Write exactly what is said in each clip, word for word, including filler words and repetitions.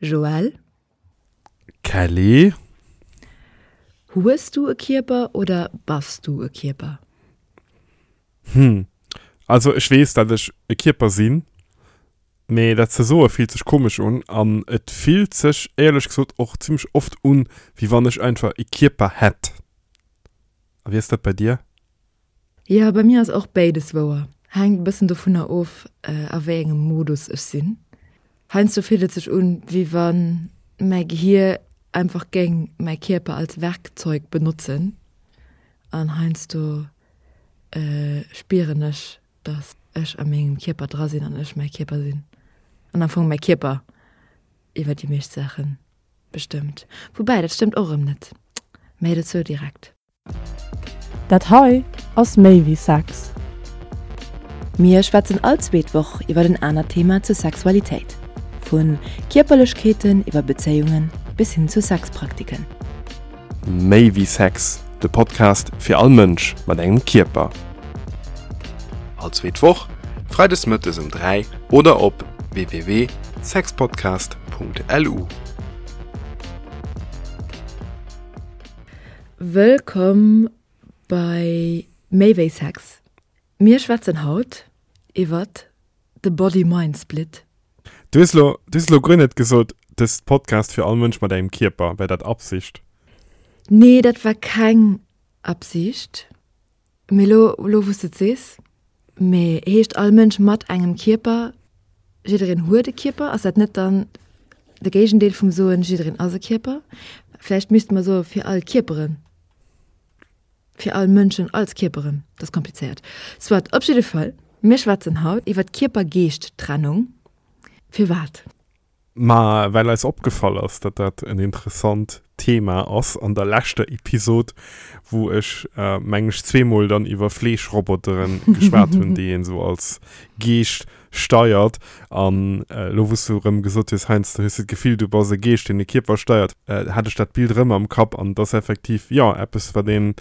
Joël? Kelly? Hues du e Kierper oder bass du e Kierper? Hm. Also ech weess, dat ech e Kierper sinn, mee dat ze soe fillt sech komesch un an et fillt sech éierlech gesot och zimmlech oft un, wéi wann ech einfach e Kierper hätt. A wéi ass dat bei dir? Jo, bei mir ass och béides wouer. Hänkt e bëssen dovunner of, a wéi engem Modus ech sinn. Heiansdo fillt et sech un, wéi wa mäi Gehier einfach géing mäi Kierper als Werkzeug benotzen an heiansdo spieren ech, dass ech a mengem Kierper dra sinn an ech mäi Kierper sinn an am Fong mäi Kierper iwwer déi meescht Saache bestëmmt. Woubäi, dat stëmmt och erëm net. Méi dozou direkt. Dat hei ass méi wéi Sex. Mir schwätzen all zweet Woch iwwer en anert Thema zur Sexualitéit. Vu Kierperlechkeeten iwwer Bezéiungen bis hin zu Sexpraktiken. Méi wéi Sex, de Podcast fir all Mënsch mat engem Kierper. All zweet Woch, freides mëttes um dräi oder op w w w sexpodcast punkt l u. Wëllkomm bei Méi wéi Sex. Mir schwätzen haut iwwert de Body-Mind-Split. Du hues lo, du hues lo guer net gesot, dës Podcast fir all Mënsch mat engem Kierper. War dat Absicht? Nee, dat war keng Absicht. Mee lo, lo wou s de et sees. Mee heescht all Mënsch mat engem Kierper, jiddereen huet e Kierper? Ass dat net dann de Géigendeel vum soen, jiddereen ass e Kierper? Vläicht misste mer soe fir all Kierperen. Fir all Mënschen als Kierperen. Dat ass komplizéiert. Soit, op jidde Fall, mir schwätzen haut iwwer d'Kierper-Geescht-Trennung. Firwat? Ma well eis opgefall ass, datt dat en interessant Thema ass an der leschter Episod, wou ech, mengen ech, zweemol dann iwwer Fleeschroboteren geschwat hunn, déi een esou als Geescht steiert. An elo, wou s du erëm gesot hues, heiansdo hues du d'Gefill, du bass e Geescht, deen e Kierper steiert, hat ech dat Bild erëm am Kapp. An et ass effektiv, jo, eppes, wat een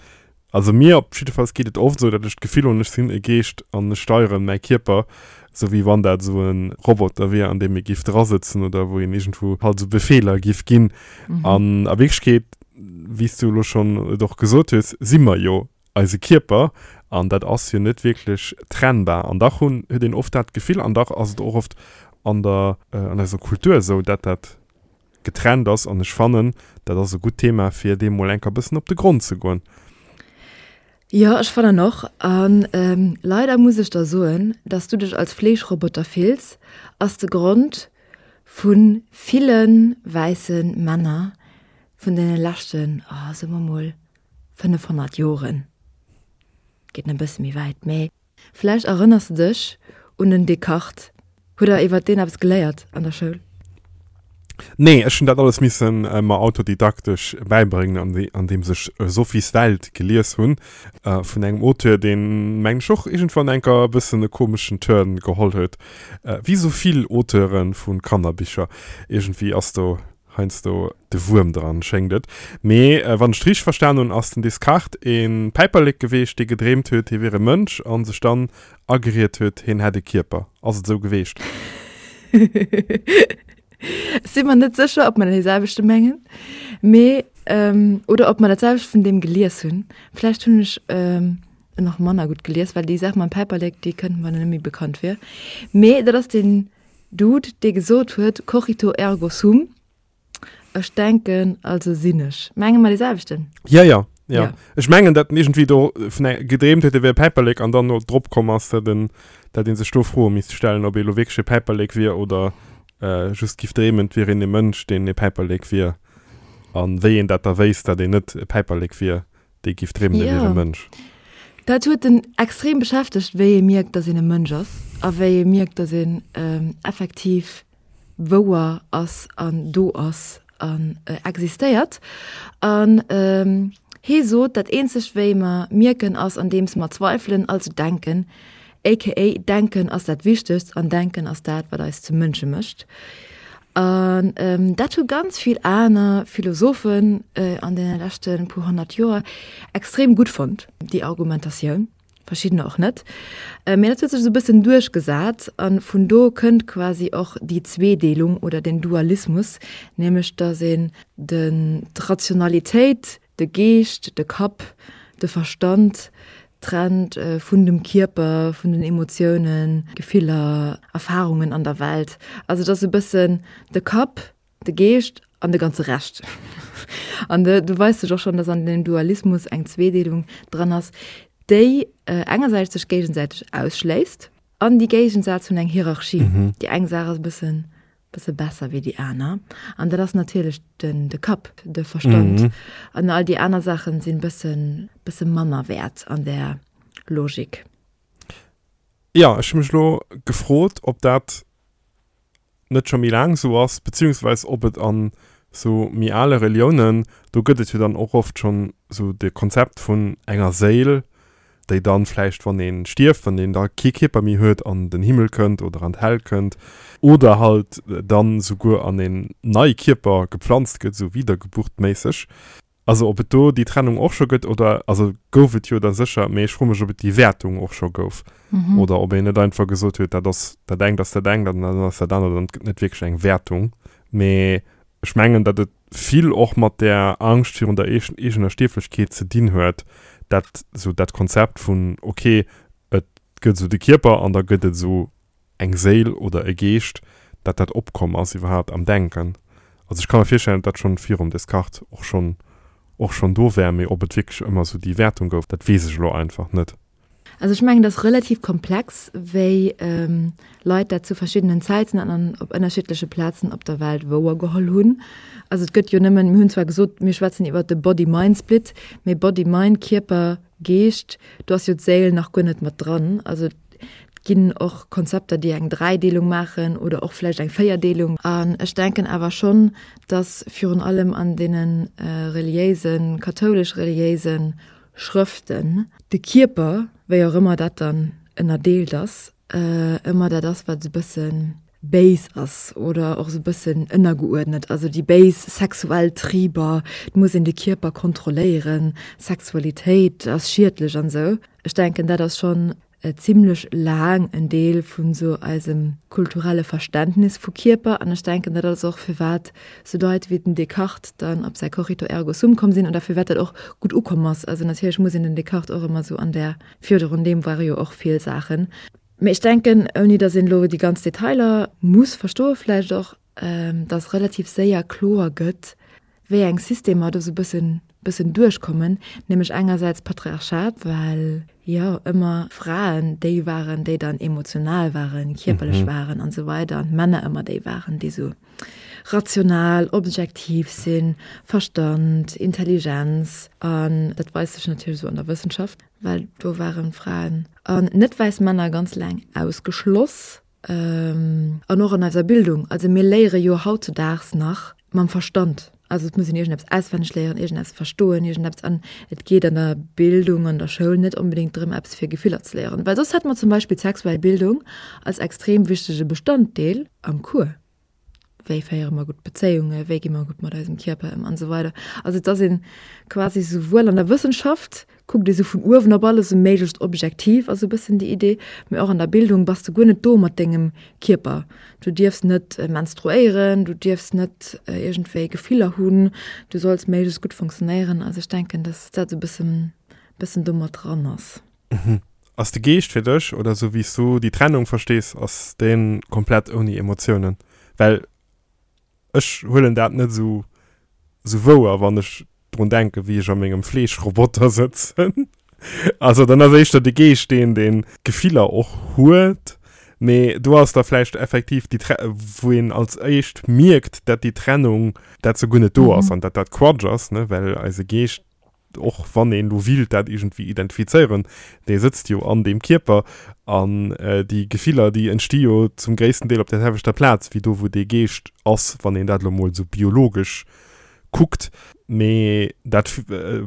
Also mir op jiddefalls geet et oft esou, datt ech d'Gefill hunn, ech sinn e Geescht an ech steieren mäi Kierper, esou wéi wann dat esou e Roboter wier, an deem ee giff drasëtzen oder wou een iergendwou halt esou Befeeler giff ginn. An a Wierklechkeet, wéi s du elo schonn et och gesot hues, si mer jo eise Kierper an dat ass jo net wierklech trennbar. An dach hunn, huet een oft dat Gefill an dach ass et och oft an der, an eiser Kultur esou, dat dat getrennt ass. An ech fannen, dat ass e gutt Thema, fir deem mol enker e bëssen op de Grond ze goen. Jo, ech fannen och. An leider muss ech der soen, dass du dech als Fleeschroboter fills, ass de Grond vu ville wäisse Männer vun deene leschten, oh, soe mer mol, fënnefhonnert Joren. Geet nach e bësse méi wäit, mee vläicht erënners de dech un den Descartes. Hutt der iwwert deen eppes geléiert an der Schoul? Nee, ech hunn dat alles misse mer autodidaktesch bäibréngen, andeems ech Sophies Welt gelies hunn, vun engem Auteur, deen, mengen ech, och iergendwann enker e bëssen e komeschen Turn geholl huet, wéi esou vill Auteure vu Kannerbicher. Iergendwéi ass do heiansdo de Wuerm dran, schéngt et. Mee wann ech et richteg verstan hunn, ass den Descartes e Päiperlek geweecht, dee gedreemt huet, hie wier e Mënsch a sech dann ageriet huet, hien hätt e Kierper. Ass et esou geweecht? Ech si mer net sécher, ob mer dee selwechte mengen, mee oder ob mer dat selwecht vun deem gelies hunn. Vläicht hunn ech en och manner gutt gelies, well déi Saach mam Päiperlek, déi kënnt mer net méi bekannt vir. Mee dat ass deen Dude, dee gesot huet, Cogito ergo sum, ech denken, also sinn ech. Menge mer dee selwechten? Jo, jo, jo. Ech mengen, datt en iergendwéi do vun eng gedreemt huet, e wier e Päiperlek an dann no drop komm ass, datt en, datt ee sech do Froe misst stellen, ob ee lo wierklech e Päiperlek wier oder just giff dreemen, et wier een e Mënsch, deen e Päiperlek wier. An wéi een dat da wéisst, datt een net e Päiperlek wier, dee giff dreemen, e wier e Mënsch. Dat huet en extrem beschäftegt, wéi ee mierkt, datt een e Mënsch ass a wéi ee mierkt, datt een effektiv wouer ass an do ass an existéiert. An hee sot, dat eenzegt wéi mer mierken ass andeems mer zweifelen, also denken, aka denken ass dat Wichtegst an denken ass dat wat eis zu Mënsche mécht. An dat hu ganz vill aner Philosophen an deene leschte puer honnert Joer extrem gutt fonnt, déi Argumentatioun. Verschiddener och net. Mee dat huet sech esou e bëssen duerchgesat a vun do kënnt quasi och déi Zweedeelung oder den Dualismus, nämlech datt een den, d'Rationalitéit, de Geescht, de Kapp, de Verstand trennt vun dem Kierper, vun den Emotiounen, Gefiller, Erfarungen an der Welt. Also et ass e bëssen de Kapp, de Geescht an de ganze Rescht. An do weist sech och schonn, datt an deem Dualismus eng Zweedeelung dran ass, déi engersäits sech géigesäiteg ausschléisst an déi Géigensätz hunn eng Hierarchie. Déi eng Saach ass e bëssen, bësse besser wéi déi aner an dat ass natierlech den, de Kapp, de Verstand an all déi aner Saachen sinn bëssen, bësse manner wäert an där Logik. Jo, ech hu mech elo gefrot, ob dat net scho méi laang sou ass, beziehungsweis ob et an sou méi ale Reliounen, do gëtt et jo dann och oft schonn sou de Konzept vun enger Séil, déi dann vläicht wann ee stierft, wann een da kee Kierper méi huet, an den Himmel kënnt oder an d'Häll kënnt oder halt dann souguer an een nei Kierper gepflanzt gëtt, sou wiedergeburtméisseg. Also ob et do déi Trennung och scho gëtt oder, also gouf et jo da sécher, mee ech froe mech ob et déi Wäertung och scho gouf oder ob een net einfach gesot huet, dat ass dat engt ass dat engt an dat anert ass dat anert an et gëtt net wierklech eng Wäertung. Mee ech mengen, datt et vill och mat där Angscht virun der eegener Stierflechkeet ze dinn huet, dat esou dat Konzept vun ok, et gëtt esou de Kierper an da gëtt et esou eng Séil oder e Geescht, datt dat opkomm ass iwwerhaapt am Denken. Also ech ka mer virstellen, datt dat schonn virum Descartes och schonn och schonn do wär, mee ob et wierklech ëmmer esou déi Wäertung gouf, dat weess ech elo einfach net. Also ech mengen, et ass relativ komplex, wéi Leit dat zu verschiddenen Zäiten an op ënnerschiddleche Plazen op der Welt wouergeholl hunn. Also et gëtt jo nëmmen, mir hunn zwar gesot, mir schwätzen iwwert de Body-Mind-Split, mee Body-Mind, Kierper, Geescht, do ass jo d'Séil nach guer net mat dran. Also et ginn och Konzepter, déi eng Dräideelung maachen oder och vläicht eng Véierdeelung. An ech denken awer schonn, dass virun allem an deene reliéisen, kathoulesch-reliéise Schrëften de Kierper, wéi och ëmmer dat dann ënnerdeelt ass, ëmmer dat ass, wat esou e bësse béis ass oder och esou e bëssen ënnergeuerdnet. Also déi béis sexuell Triber, et muss een de Kierper kontrolléieren, Sexualitéit ass schiedlech an esou. Ech denken, dat ass schonn zimlech laang en Deel vun esou eisem kulturelle Verständnis vu Kierper an ech denken, dat ass och firwat sou Leit wéi den Descartes dann op säi Cogito ergo sum komm sinn oder firwat dat och gutt ukomm ass. Also natierlech muss een den Descartes och ëmmer sou an där, virdrun deem ware jo och vill Saachen. Mee ech denken, ouni datt een elo déi ganz Detailer muss verstoe vläicht och, datt relativ séier kloer gëtt, wéi eng Systemer do sou bëssen bëssen duerchkommen, nämlech engersäits d'Patriarchat, well jo ëmmer Fraen déi waren, déi dann emotional waren, kierperlech waren an esou weider an d'Männer ëmmer déi waren, déi sou rational, objektiv sinn, Verstand, Intelligenz an dat weist sech natierlech esou an der Wëssenschaft, well do waren Fraen an net wäiss Männer ganz laang ausgeschloss an och an eiser Bildung. Also mir léiere jo hautzudaags nach mam Verstand. Also et muss een iergendeppes auswenneg léieren, iergendeppes verstoen, iergendeppes an et geet an der Bildung, an der Schoul net onbedéngt drëm, eppes fir Gefiller ze léieren. Well soss hätte mer zum Beispill d'sexuell Bildung als extrem wichtege Bestanddeel am Cours. Wéi féiere mer gutt Bezéiungen, wéi gi mer gutt mat eisem Kierper ëm an esou weider. Also et ass een quasi souwuel an der Wëssenschaft, kuckt ee sou vun uewen op alles, sou méiglechst objektiv ass sou e bëssen déi Idee, mee och an der Bildung bass de guer net do mat dengem Kierper. Du dierfs net menstruéieren, du dierfs net iergendwéi Gefiller hunn, du solls méiglechst gutt funktionéieren. Also ech denken, dass dat sou e bëssen, bëssen do mat dran ass. Ass de Geescht fir dech, oder sou wéi s du déi Trennung verstees, ass dee komplett ouni Emotiounen? Well ech huelen dat net esou esou wouer, wann ech drun denken, wéi ech a mengem Fleeschroboter sëtzen. Also dann ass éischter de Geescht deen, deen Gefiller och huet, mee do ass da vläicht effektiv déi Tre wou een als éischt mierkt, dat déi Trennung, dat se guer net do ass an dat dat Quatsch ass, ne, well eise Geescht och wann een elo willt dat iergendwéi identifizéieren, dee sëtzt jo an deem Kierper an déi Gefiller, déi entsti jo zum gréissten Deel op där selwechter Plaz wéi do, wou dee Geescht ass, wann een dat elo mol esou biologesch Kuckt, mee dat,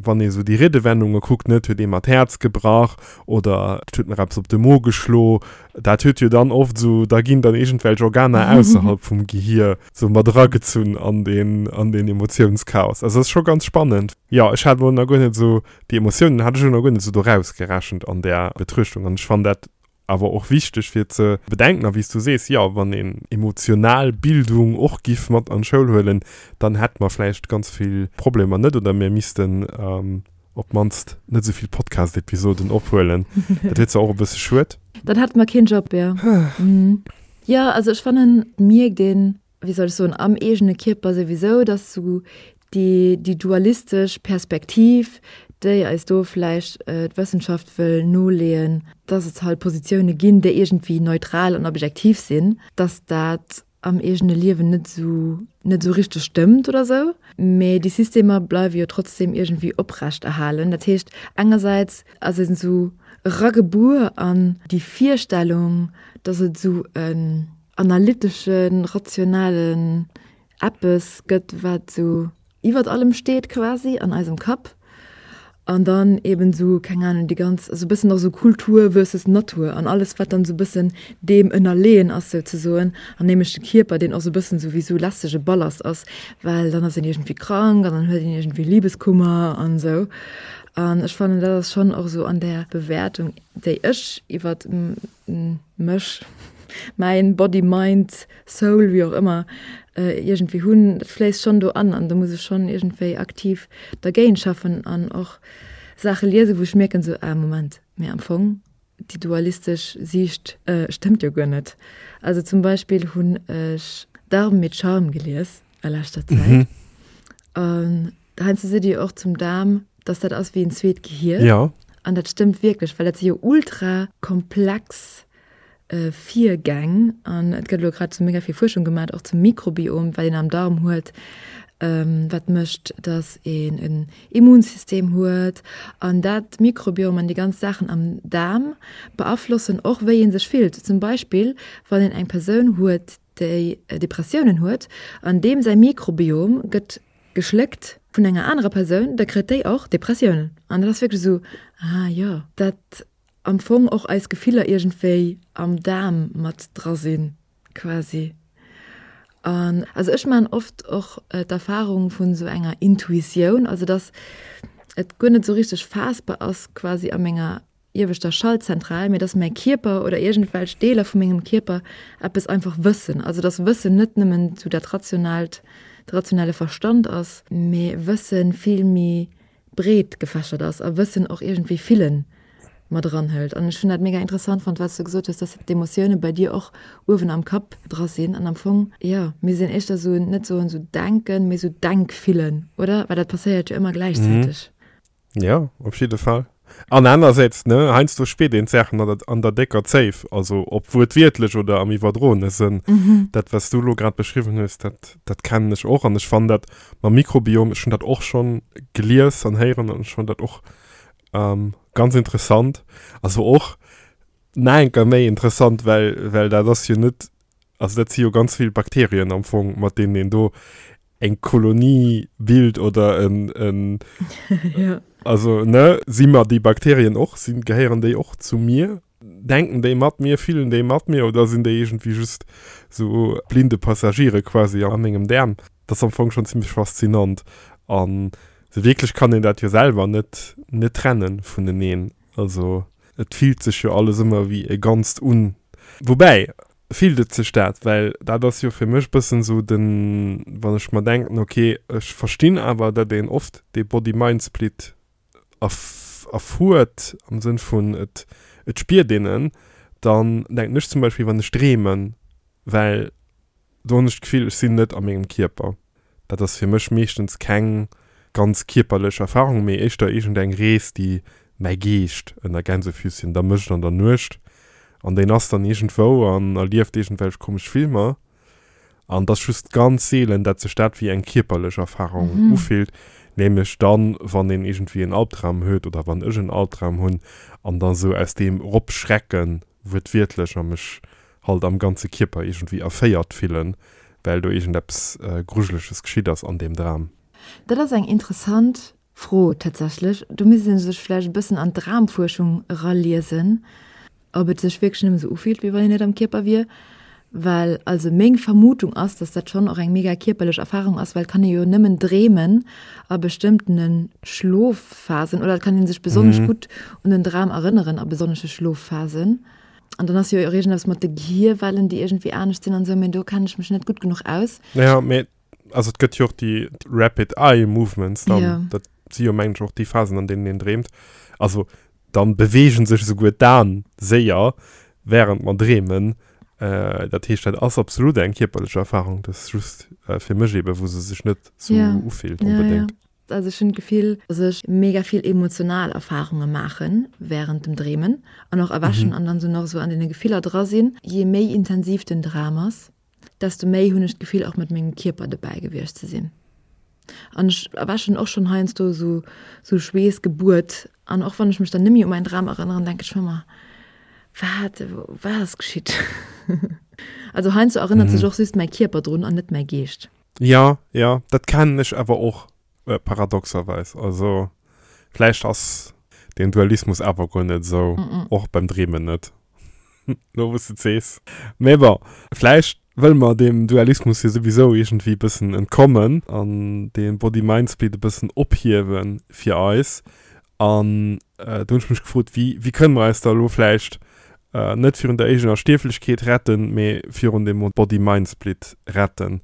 wann ee sou déi Riedewendunge kuckt, ne, et huet ee mer d'Häerz gebrach oder et huet mer eppes op de Mo geschlo, dat huet jo dann oft sou, da ginn dann iergendwelch Organer ausserhalb vum Gehier sou mat eragezunn an deen, an deen Emotiounschaos. Also ass scho ganz spannend. Jo, ech hat elo nach guer net sou, déi Emotiounen hat ech elo nach guer net sou do rausgerechent an där Betruechtung an ech fannen dat awer och wichteg fir ze bedenken, a wéi s du sees, jo, wann een emotional Bildung och giff mat an d'Schoul huelen, dann hätte mer vläicht ganz vill Problemer net oder mir missten op d'mannst net esou vill Podcast-Episoden ophuelen. Dat wier zwar och e bësse schued. Dann hätte mer keen Job, jo. Jo, also ech fannen, et mierkt een, wéi soll ech soen, am eegene Kierper souwisou, dass sou déi, déi dualistesch Perspektiv, déi eis do vläicht d'Wëssenschaft wëll noleeën, dass et halt Positioune ginn, déi iergendwéi neutral an objektiv sinn, dass dat am eegene Liewen net esou, net esou richteg stëmmt oder esou. Mee déi Systemer bleiwe jo trotzdem iergendwéi oprechterhalen. Dat heescht, engersäits ass een esou eragebuer an déi Virstellung, dass et esou en analyteschen, rationalen eppes gëtt, wat esou iwwert allem steet quasi an eisem Kapp. An dann eben esou, keng Ahnung, déi ganz, esou e bëssen och esou Kultur versus Natur an alles, wat dann esou e bëssen deem ënnerleeën ass souzesoen, an nämlech de Kierper, deen och esou e bëssen esou wéi esou lästege Ballast ass, well dann ass een iergendwéi krank an dann huet een iergendwéi Libeskummer an esou. An ech fannen, dat ass schonn och esou an där Bewäertung, déi ech iwwert mech, mäin Body, Mind, Soul, wéi och ëmmer, iergendwéi hunn, dat fléisst schonn do an an do muss ech schonn iergendwéi aktiv dergéint schaffen an och Saache liesen, wou ech mierken esou, ah Moment, mee am Fong déi dualistesch Siicht stëmmt jo guer net. Also zum Beispill hunn ech Darm mit Charme gelies a leschter Zäit an heiansdo seet Dir jo och zum Daarm, dass dat ass wéi en zweet Gehier. Jo. An dat stëmmt wierklech, well dat si jo ultra komplex Virgäng an et gëtt elo grad esou mega vill Fuerschung gemat och zum Mikrobiom, wat een am Darm huet, wat mécht, datt een en Immunsystem huet an dat Mikrobiom an déi ganz Saachen am Daarm beaflossen och wéi ee sech fillt. Zum Beispill wann een eng Persoun huet, déi Depressiounen huet an deem säi Mikrobiom gëtt geschléckt vun enger anerer Persoun, da kritt déi och Depressiounen. An dat ass wierklech esou, ah jo, dat am Fong och eis Gefiller iergendwéi am Daarm mat dra sinn quasi. An also ech maachen oft och d'Erfahrung vun esou enger Intuitioun, also dass et guer net esou richteg faassbar ass quasi a menger ieweschter Schaltzentral, mee dass mäi Kierper oder iergendwelch Deeler vu mengem Kierper eppes einfach wëssen. Also dass Wëssen net nëmmen esou dat rationaalt, de rationale Verstand ass, mee Wëssen vill méi breet gefächert ass a Wëssen och iergendwéi Fillen mat eranhëlt. An ech hunn dat mega interessant fonnt, wat s du gesot hues, dass d'Emotioune bei dir och uewen am Kapp dra sinn. An am Fong, jo, mir sinn éischter esou, net soen esou denken, mee esou denkfillen, oder? Well dat passéiert jo ëmmer gläichzäiteg. Jo, op jidde Fall. An anersäits, ne, heiansdo spiert een d'Saachen an der, an der décker Zéif, also ob wuertwiertlech oder am iwwerdroene Sënn. Dat, wat s du elo grad beschriwwen hues, dat, dat kennen ech och. An ech fannen dat mam Mikrobiom, ech hunn dat och schonn gelies an héieren an ech fannen dat och ganz interessant. Also och nach eng Kéier méi interessant, well, well dat ass jo net, also dat si jo ganz vill Bakterien am Fong, mat deenen een do eng Kolonie bilt oder en, en ja. Also, ne, si mer déi Bakterien och, sinn, gehéieren déi och zu mir? Denken déi mat mir, fillen déi mat mir oder sinn déi iergendwéi just sou blinde Passagiere quasi a mengem Daarm? Dat ass am Fong schonn zimmlech faszinant. An sou wierklech kann een dat jo selwer net, net trennen vuneneen. Also et fillt sech jo alles ëmmer wéi e Ganzt un. Woubäi, fillt et sech dat? Well dat ass jo fir mech bëssen sou den, wann ech mer denken, ok, ech verstinn awer, datt een oft dee Body-Mind-Split erfuert, am Sënn vun et, et spiert een en, dann denken ech zum Beispill, wann ech dreemen, well do hunn ech d'Gefill, ech sinn net a mengem Kierper. Dat ass fir mech meeschtens keng ganz kierperlech Erfahrung, mee éischter iergendeng Rees, déi mäi Geescht ënner Gänsefüßchen da mécht an der Nuecht. An deen ass dann iergendwou an erlieft iergendwelch komesch Filmer. An et ass just ganz seelen, dat sech dat wéi eng kierperlech Erfahrung ufillt, nämlech dann, wann een iergendwéi en Albdram huet oder wann ech en Albdram hunn an da sou aus deem eropschrecken, wuertwiertlech, a mech halt am ganze Kierper iergendwéi erféiert fillen, well do iergendeppes Grujeleches geschitt ass an deem Dram. Dat ass eng interessant Fro tatsächlech. Do misst ee sech vläicht e bëssen an d'Dramfuerschung eraliesen, ob et sech wierklech nëmme sou ufillt, wéi wann een net am Kierper wier. Well also meng Vermutung ass, dass dat schonn och eng mega kierperlech Erfarung ass, well et kann ee jo nëmmen dreemen a bestëmmtene Schlofphasen oder et kann ee sech besonnesch gutt un den Dram erënneren a besonnesche Schlofphasen. An dann ass jo och iergendeppes mat de Gehirwellen, déi iergendwéi anescht sinn an esou, mee do kennen ech mech net gutt genuch aus. Ja, mee also et gëtt jo och déi Rapid Eye Movements dann, Ja. dat si jo mengen ech och déi Phasen, an deenen een dreemt. Also dann beweegen sech esouguer d'Aen séier während mer dreemen. Äh, dat heescht, dat ass absolut eng kierperlech Erfahrung, dat ass just äh, fir mech eben, wou se sech net sou Ja. ufillt Ja, ja. onbedéngt. Also ech hunn d'Gefill, dass ech mega vill emotional Erfarunge maache während dem Dreemen an och erwächen an dann sou nach sou an deene Gefiller dra sinn. Je méi intensiv den Dram ass, desto méi hunn ech d'Gefill och mat mengem Kierper dobäi gewiescht ze sinn. An ech erwächen och schonn heiansdo sou sou schweessgebuert an och wann ech mech dann nëmme u mäin Dram erënneren, denke ech mer ëmmer, wat wat ass geschitt? Also heiansdo erënnert sech och just mäi Kierper drun an net mäi Geescht. Ja, ja, dat kennen ech awer och. Äh, paradoxerweis. Also vläicht ass den Dualismus awer guer net esou, mm -mm. och beim Dreemen net. Lo wou s de et sees. Mee bon, vläicht wëlle mer deem Dualismus jo souwisou iergendwéi e bëssen entkommen an dee Body-Mind-Split e bëssen ophiewe fir eis. An äh, do hunn ech mech gefrot, wéi, wéi kënne mer eis da elo vläicht äh, net virun der eegener Stierflechkeet retten, mee virun dem Body-Mind-Split retten?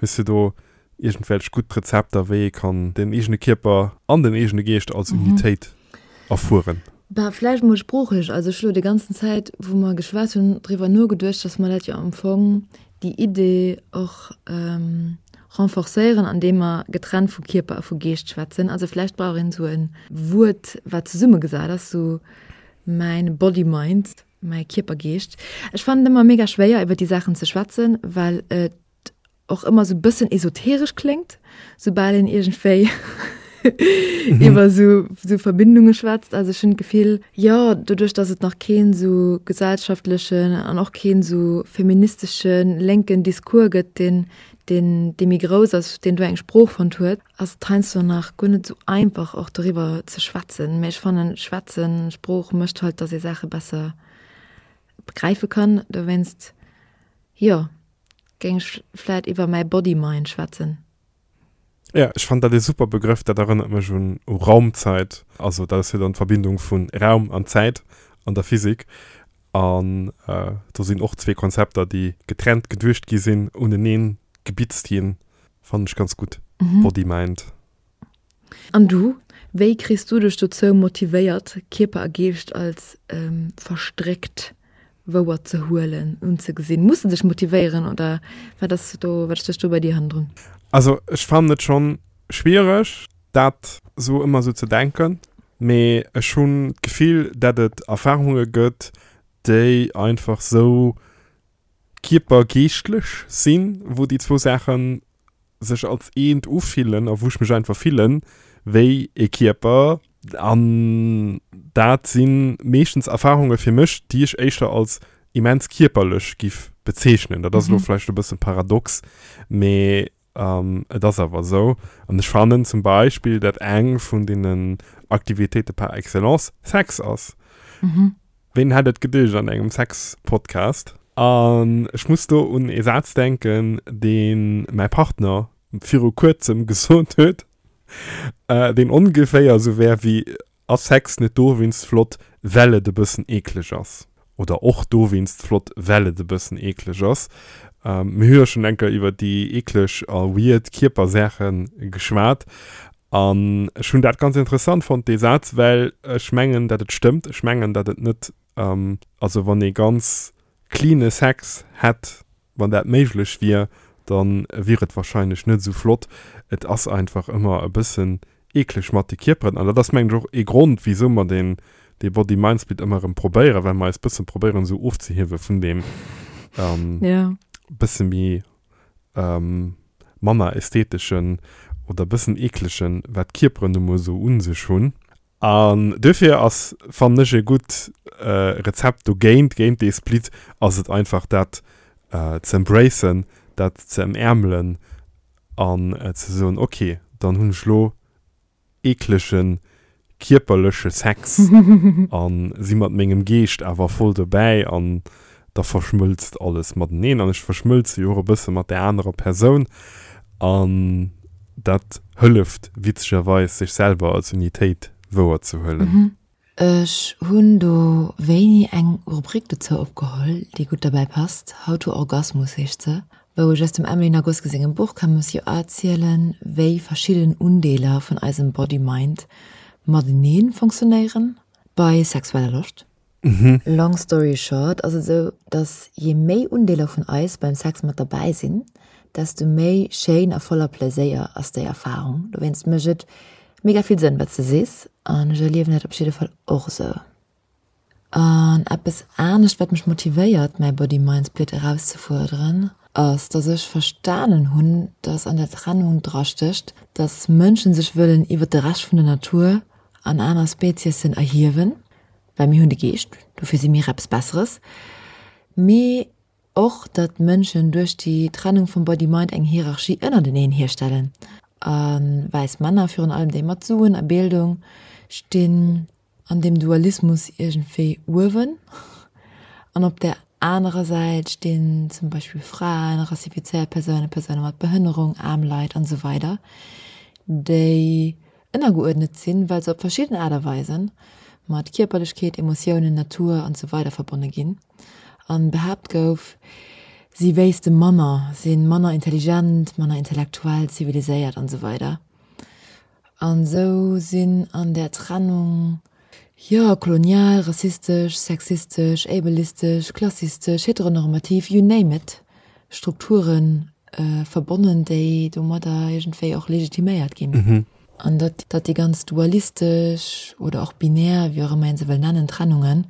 Hues du do iergendwelch gutt Rezepter, wéi ee kann den eegene Kierper an den eegene Geescht als Unitéit erfueren? Bah, vläicht mol sproochlech. Also ech hu lo déi ganzen Zäit, wou mer geschwat hunn, driwwer nogeduecht, dass mer dat jo am Fong déi Idee och renforcéieren, andeem mer getrennt vu Kierper a vu Geescht schwätzen. Also vläicht brauch een esou e Wuert, wat zesummegesat ass, sou mäin Body-Mind, mäi Kierper-Geescht. Ech fannen et ëmmer mega schwéier, iwwer déi Saachen ze schwätzen, well et och ëmmer sou bëssen esoteresch kléngt, soubal een iergendwéi iwwer sou, sou Verbindunge schwätzt. Also ech hunn d'Gefill, jo, doduerch, datt et nach keen sou gesellschaftlechen an och keen sou feministesche lénken Discours gëtt, deen, deen, dee méi grouss ass, deen do eng Sprooch fonnt huet, ass et heiansdo nach guer net sou einfach och doriwwer ze schwätzen. Mä ech fannen, schwätzen, Sprooch mécht halt, datt ee Saache besser begräife kann. Dowéinst, jo. Géing ech vläit iwwer mäi Body-Mind schwätzen. Ja, ech fannen dat ee super Begrëff, dat erënnert mech un u Raumzeit, also dat ass jo dann d'Verbindung vun Raum an Zäit an der Physik an do sinn och zwee Konzepter déi getrennt geduecht gi sinn, uneneen gebitzt ginn, fannen ech ganz gutt, Body-Mind. An du, wéi kriss du dech dozou motivéiert, Kierper a Geescht als verstréckt wouer ze huelen, unzegesinn? Muss de dech motivéieren oder wat ass do, wat stécht do bei dir hannendrun? Also ech fannen et schonn schwiereg dat sou ëmmer sou ze denken, mee ech hunn d'Gefill dat et Erfahrunge gëtt déi einfach sou kierpergeeschtlech sinn, wou déi zwou Saachen sech als eent ufillen a wou ech mech einfach fillen wéi e Kierper. An dat si meeschtens Erfarunge fir mech, déi ech éischter als immens kierperlech giff bezeechnen. Dat ass elo vläicht e bësse paradox, mee et ass awer esou. An ech fannen zum Beispill, dat eng vun deenen Aktivitéite par excellence Sex ass. Ween hätt et geduecht an engem Sex-Podcast? An ech muss do un ee Saz denken, dee mäi Partner viru kuerzem gesot huet, deen ongeféier esou wär wéi, Ass Sex net dowéinst flott, well et e bëssen eekleg ass? Oder och dowéinst flott, well et e bëssen eekleg ass? Mir hu jo schonn eng Kéier iwwer déi eekleg a weird Kierpersaache geschwat. An ech hunn dat ganz interessant fonnt, dee Saz, well ech mengen, datt et stëmmt. Ech mengen, datt et net, also wann ee ganz cleane Sex hätt, wann dat méiglech wier, da wier et wahrscheinlech net esou flott. Et ass einfach ëmmer e bëssen eekleg mat de Kierperen. An dat ass mengen ech och ee Grond, wisou mer deen, dee Body-Mind-Split ëmmer erëm probéieren, well mer eis bësse probéieren esou ofzehiewe vun deem bësse méi manner ästheteschen oder bëssen eeklegen, wat d'Kierperen nu mol esou un sech hunn. An duerfir ass, fannen ech, e gutt Rezept dogéint, géint dee Split, ass et einfach dat ze embracen, dat ze ëmäermelen an ze soen, ok, dann hunn ech lo eeklege kierperleche Sex an si mat mengem Geescht awer voll dobäi an da verschmëlzt alles mateneen an ech verschmëlze jo och e bësse mat där anerer Persoun an dat hëlleft witzegerweis sech selwer als Unitéit wouer ze huelen. Ech hunn do wéini eng Rubrik dozou opgeholl, déi gutt derbäi passt, How to Orgasmus heescht se, wou ech aus dem Emily Nagoski sengem Buch Camus You Are erzielen, wéi verschidden Undeeler vun eisem Body-Mind matenee funktionéieren bei sexueller Loscht. Long story short ass et esou, dass je méi Undeeler vun eis beim Sex mat derbäi sinn, desto méi schéin a voller Pleséier ass déi Erfarung. Dowéinst mécht et mega vill Sënn, wat s de sees, an ech erliewen dat op jidde Fall och esou. An eppes anescht, wat mech motivéiert, mäi Body-Mind-Split erauszefuerderen, ass, dass ech verstanen hunn, dass an der Trennung drastécht, dass Mënschen sech wëllen iwwer de Rescht vun der Natur an aner Speziessen erhiewen, well mir hunn de Geescht, dofir si mir eppes Besseres, mee och, datt Mënschen duerch déi Trennung vum Body-Mind eng Hierarchie ënnerteneen hierstellen a wäiss Männer, virun allem déi mat Suen a Bildung, stinn an deem Dualismus iergendwéi uewen an op där anerer Säit stinn zum Beispill Fraen, rassifizéiert Persounen, Persoune mat Behënnerung, aarm Leit an esou weider, déi ënnergeuerdnet sinn, well se op verschidden Aart a Weisen mat Kierperlechkeet, Emotiounen, Natur an esou weider verbonne ginn an behaapt gouf, si wéisste manner, si manner intelligent, manner intellektuell, ziviliséiert an esou weider. An esou sinn an där Trennung, jo, kolonial, rassistesch, sexistesch, ableistesch, klassistesch, heteronormativ, you name it, Strukture verbonnen, déi domadder iergendwéi och legitiméiert ginn. An datt déi ganz dualistesch oder och binär, wéi och ëmmer een se wëll nennen, Trennungen,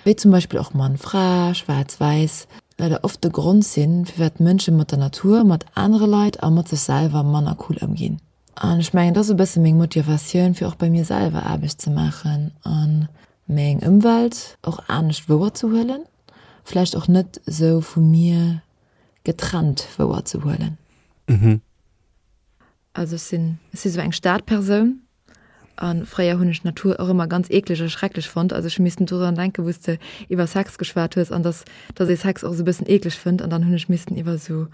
wéi zum Beispill och Mann-Fra, Schwaarz-Wäiss, leider oft de Grond sinn, firwat Mënsche mat der Natur, mat anere Leit a mat sech selwer manner cool ëmginn. An ech mengen, dat ass e bësse meng Motivatioun, fir och bei mir selwer Aarbecht ze maachen a meng Ëmwelt och anescht wouerzehuelen, vläicht och net esou vu mir getrennt wouerzehuelen. Also ech sinn, ech si sou eng Stadpersoun a fréier hunn ech d'Natur och ëmmer ganz eekleg a schrecklech fonnt. Also ech hu missten dorun denken, wou s de iwwer Sex geschwat hues an dass, dass ee Sex och sou e bëssen eekleg fënnt an dann hunn ech missten iwwer sou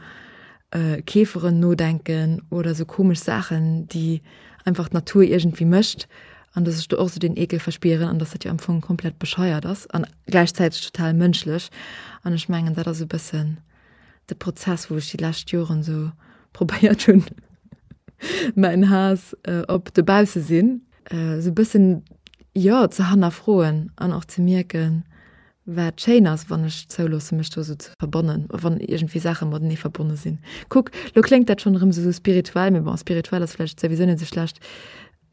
Käferen nodenken oder sou komesch Saachen, déi einfach d'Natur iergendwéi mécht an dass ech do och sou deen Eekel verspieren an dass dat jo am Fong komplett bescheiert ass an gläichzäiteg total mënschlech. An ech mengen, dat ass e bëssen de Prozess, wou ech déi lescht Joren sou probéiert hunn, mäin Haass op dobausse sinn sou bëssen, jo, ze hannerfroen an och ze mierken, wat schéin ass, wann ech zouloosse mech do sou ze verbannen, wann iergendwéi Saache matenee verbonne sinn. Kuck, lo kléngt dat schonn erëm sou spirituell, mee bon, spirituell ass vläicht souwisou net sou schlecht,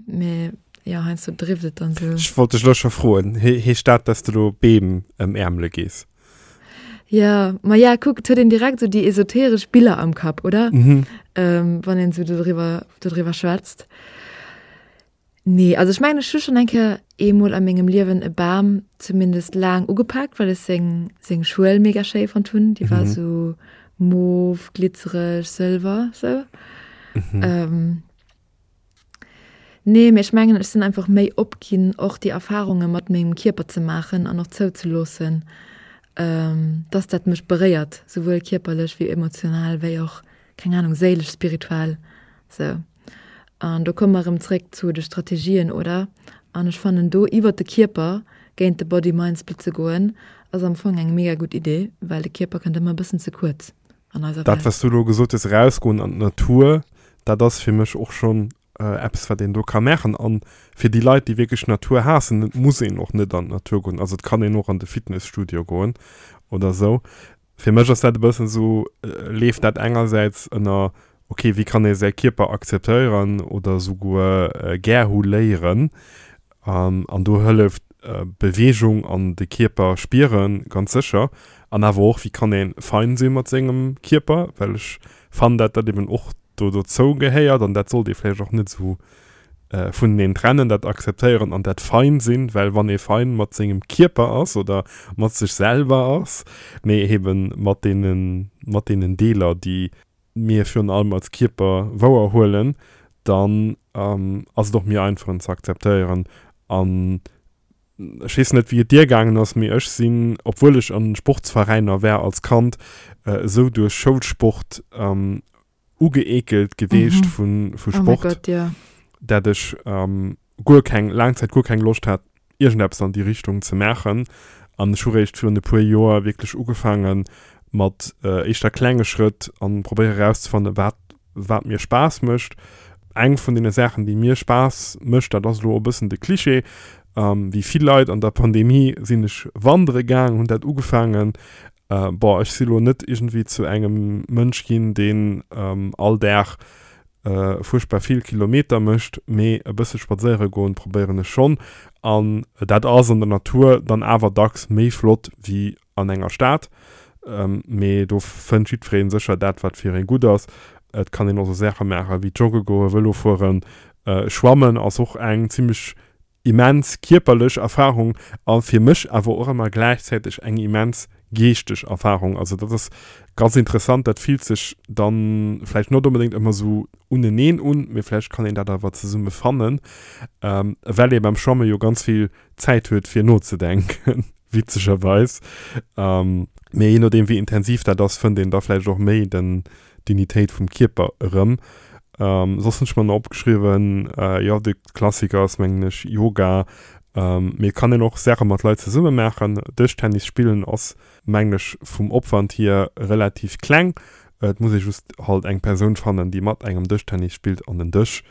mee jo, heiansdo drift et dann sou. Ech wollt dech lo scho froen, heescht dat, dass de lo Beem ëmäermele gees? Ja, ma ja, kuck, et huet een direkt sou déi esoteresch Biller am Kapp, oder? Mhm. Ähm, wann een sou dodriwwer, dodriwwer schwätzt. Nee, also ech mengen, ech hu schonn eng Kéier eemol a mengem Liewen e Bam zumindest laang ugepaakt, well ech seng, seng Schuel mega schéi fonnt hunn. Déi war Mhm. sou mof, glitzereg, sëlwer, sou. Mhm. Ähm, Nee, mee ech mengen, ech sinn einfach méi op ginn, och déi Erfarunge mat mengem Kierper ze maachen an och zouzeloossen, dass dat mech beréiert, souwuel kierperlech wéi emotional, wéi och, keng Anung, séilesch, spirituell, sou. An do komme mer erëm zréck zu de Strategien, oder? An ech fannen do iwwert de Kierper géint de Body-Mind-Split ze goen, ass am Fong eng mega gutt Idee, well de Kierper kënnt ëmmer e bëssen ze kuerz an eiser Dat, Welt. wat s du elo gesot hues, erausgoen an d'Natur, dat ass fir mech och schonn eppes, wat een do ka maachen. An fir déi Leit, déi wierklech d'Natur haassen, et muss een och net an d'Natur goen. Also et kann een och an de Fitnesstudio goen oder esou. Fir mech ass dat e bëssen esou, leeft dat engersäits ënner, okay, wéi kann ee säi Kierper akzeptéieren oder esouguer gär hu léieren. An do hëlleft Beweegung an de Kierper spiere ganz sécher. An awer och, wéi kann ee fein si mat sengem Kierper, well ech fannen, dat dat eben och do dozou gehéiert an dat sollt ee vläicht och net esou vuneneen trennen, dat akzeptéieren an dat fein sinn, well wann ee fein mat sengem Kierper ass oder mat sech selwer ass, mee eben mat deenen, mat deenen Deeler, déi mir virun allem als Kierper wouer huelen, dann ass et och méi einfach en ze akzeptéieren. An ech weess net wéi et dir gaangen ass, mee ech sinn, obwuel ech an Sportsveräiner war als Kand, esou duerch Schoulsport ugeekelt geweecht mhm. vu, vu Sport, oh mein Gott, ja. dat ech ähm, guer keng, laang Zäit guer keng Loscht hat, iergendeppes an déi Richtung ze maachen. An ech hu réischt virun e puer Joer wierklech ugefaangen mat äh, éischter klenge Schrëtt an probéiere erauszefannen, wat, wat mir Spaass mécht. Eng vun deene Saachen, déi mir Spaass mécht, dat ass elo e bëssen de Klischee, ähm, wéi vill Leit an der Pandemie sinn ech wandere gaang, hunn dat ugefaangen. Äh, boah, ech si lo net iergendwéi zu engem Mënsch ginn, deen ähm, all Dag äh, fuerchtbar vill Kilometer mécht, mee e bësse spadséiere goen probéieren ech schonn. An dat ass an der Natur dann awer dacks méi flott wéi an enger Stad. Ähm, mee do fënnt jiddweree sécher dat, wat fir een gutt ass. Et kann een och sou Saache maache wéi jogge goen, Vëlo fueren, äh, schwammen ass och eng zimmlech immens kierperlech Erfarung a fir mech awer och ëmmer gläichzäiteg eng immens geeschteg Erfarung. Also dat ass ganz interessant, dat fillt sech dann vläicht net onbedéngt ëmmer sou uneneen un, mee vläicht kann een dat awer zesumme fannen, ähm, well ee beim Schwamme jo ganz vill Zäit huet fir nozedenken, witzegerweis. Ähm, mee jee nodeem wéi intensiv dat ass, fënnt een da vläicht och méi den d'Unitéit vum Kierper erëm. Ähm, soss hunn ech mer nach opgeschriwwen, äh, jo, de Klassiker ass mengen ech Yoga, ähm, mee et kann een och Saache mat Leit zesumme maachen. Dëschtennis spillen ass mengen ech vum Opwand hier relativ kleng, et muss ee just halt eng Persoun fannen, déi mat engem Dëschtennis spillt an en Dësch.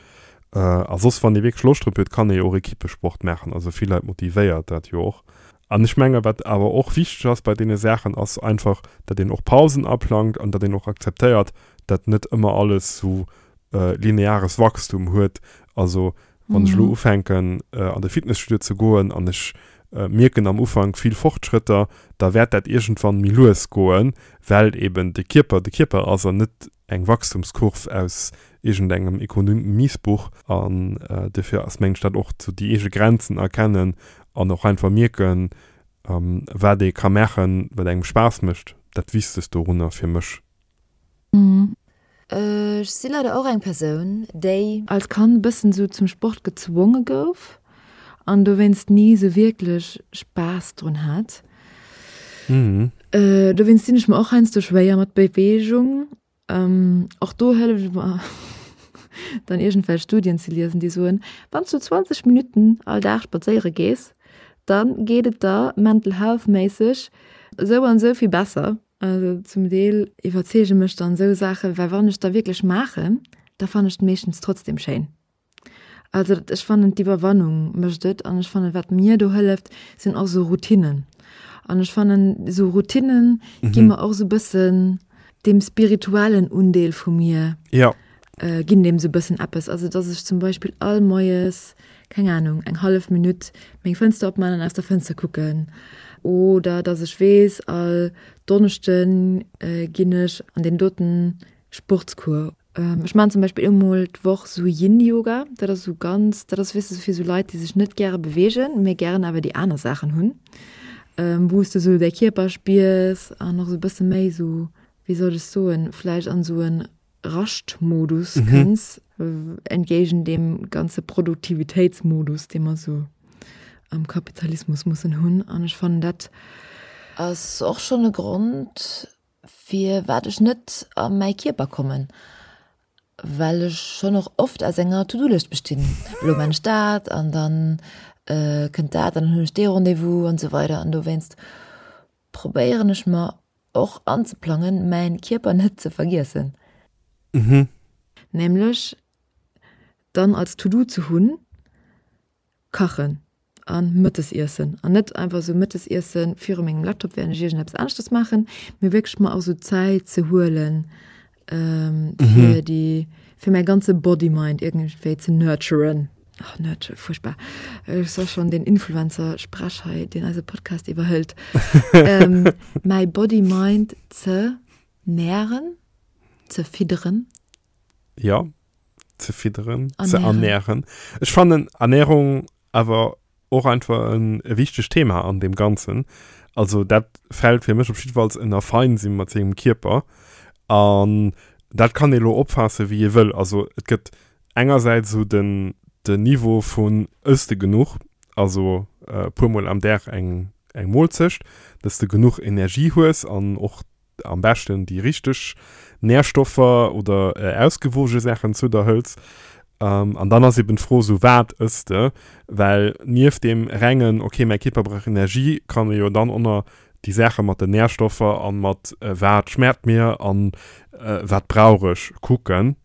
Äh, a soss wann ee wierklech Loscht drop huet, kann ee jo och Ekippesport maachen, also vill Leit motivéiert dat jo och. An ech menge wat awer och wichteg ass bei deene Saachen ass einfach, datt een och Pausen aplangt an datt een och akzeptéiert, datt net ëmmer alles sou lineares Wachstum huet. Also wann ech elo ufänken an de Fitnesstudio ze goen an ech mierken am Ufank vill Fortschrëtter, da wäert dat iergendwann méi lues goen, well eben de Kierper de Kierper ass an net eng Wachstumskurv aus iergendengem Ekonomiesbuch. An dofir ass mengen ech dat och sou déi eege Grenzen erkennen an och einfach mierken, wat ee ka maachen, wat engem Spaass mécht, dat Wichtegst dorunner fir mech. Ech si leider och eng Persoun, déi. Als Kand e bëssen esou zum Sport gezwonge gouf an dowéinst ni esou wierklech Spaass drun hat. Dowéinst dinn ech mer och heiansdo schwéier mat Beweegung. Och do hëlleft et mer dann iergendwelch Studien ze liesen, déi soen, wann s du zwanzeg Minutten all Dag spadséiere gees, da geet et der mental health méisseg esou an esou vill besser. Also zum Deel iwwerzeege mech dann esou Saachen, well wann ech da wierklech maachen, da fannen ech et meeschtens trotzdem schéin. Also ech fannen d'Iwwerwannung mécht et an ech fannen wat mir do hëlleft sinn och esou Routinen an ech fannen esou Routinen gi mer och esou bëssen deem spirituellen Undeel vu mir. Ja. Ginn deem esou e bëssen eppes. Also dass ech zum Beispill all Moies, keng Ahnung, eng hallef Minutt meng Fënster opman an aus der Fënster kucken. Oder dass ech weess, all Donneschde ginn ech an deen doten Sportscours. Ech maachen zum Beispill eemol d'Woch esou Yin-Yoga. Dat ass esou ganz, dat ass, weess de, fir esou Leit, déi sech net gäre beweegen, mee gären awer déi aner Saachen hunn, wou s de esou däi Kierper spiers an och esou e bësse méi esou, wéi soll ech soen, vläicht an esou en Raschtmodus mhm. kënns, entgéigent deem ganze Produktivitéitsmodus, dee mer sou am Kapitalismus mussen hunn. An ech fannen dat ass och schonn e Grond, firwat ech net a mäi Kierper kommen, well ech schonn och oft aus enger To-do-Lëscht bestinn. Elo man ech dat an dann äh, kënnt dat an dann hunn ech dee Rendez-vous an esou weider. An dowéinst probéieren ech mer och anzeplangen, mäin Kierper net ze vergiessen. Mhm. Nämlech dann als To-Do ze hunn, kachen an Mëttesiessen. An net einfach esou Mëttesiessen viru mengem Laptop, während ech iergendeppes aneschtes maachen, mee wierklech mer och esou Zäit ze huelen, fir déi, fir mäi ganze Body-Mind iergendwéi ze nurturen. Ach, nurture, furchtbar. Ech soll schon den Influencer-Sprech hei, deen eise Podcast iwwerhëlt. ähm, mäi Body-Mind ze nähren, ze fidderen. Ja, ze fidderen, ze ernähren. Ech fannen Ernährung awer och einfach en e wichtegt Thema an deem Ganzen. Also dat fält fir mech op jiddefalls ënner fein si mat sengem Kierper. An dat kann ee lo opfaasse wéi ee wëll. Also et gëtt Engersäits esou den den Niveau vun ëss de genuch, also e puermol am Dag eng eng Moolzecht, dass de genuch Energie hues an och am beschten déi richteg Nährstoffer oder ausgewoge Saachen zu der hëls. An dann ass eben d'Fro esou, wat ëss de? Well nieft deem rengen, okay mäi Kierper brauch Energie, kann e jo dann och nach déi Saache mat den Nährstoffer an mat wat schmaacht mir an wat brauch ech kucken.